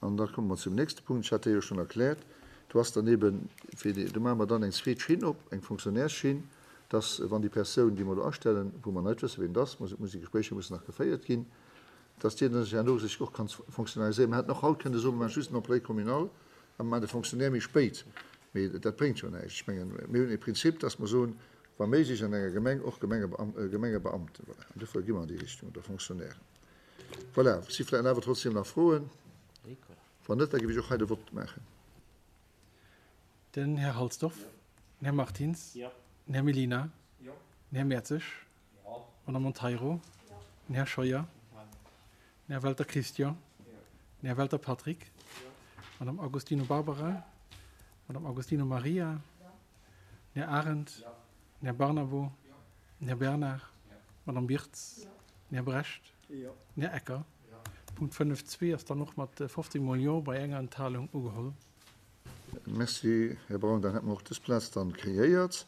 An da komme mer zum nächste Punkt. Ech hat dee jo schonn erkläert. Do ass dann eeben, fir déi, do maache mer dann eng zweet Schinn op, eng Fonctionnairesschinn, dass, wann déi Persoun, déi mer do astellen, wou mer nach net wëssen, wien et ass, muss, déi Gespréicher mussen nach geféiert ginn, dass déi dann sech herno sech och kann fonctionnariséieren. Mer hätten och haut kënne soen, mer maache just den Employé communal a mer maachen de Fonctionnaire méi spéit. Mee dat bréngt jo näischt. Ech mengen, mir hunn e Prinzip, dass mer soen, wa méiglech an enger Gemeng och Gemengebeamten. Voilà. An dofir gi mer an déi Richtung, oder Fonctionnairen. Voilà. Si vläicht awer trotzdem nach Froen? Wann net, da géif ech och hei de Vott maachen. Den Här Halsdorf, den Här Martins, den Här Mellina, den Här Mertzig, d'Madame Monteiro, den Här Scheuer, den Här Welter Christian, den Här Welter Patrick, d'Madame Agostino Barbara, d'Madame Agostino Maria, den Här Arendt, den Här Barnabo, den Här Bernard, d'Madame Birtz, den Här Brecht, den Här Ecker. Punkt 5.2 ass dann och mat 15 mol Jo bei enger Enthalung ugeholl. Merci, Här Braun. Dann hätte mer och dës Plaz dann kreéiert.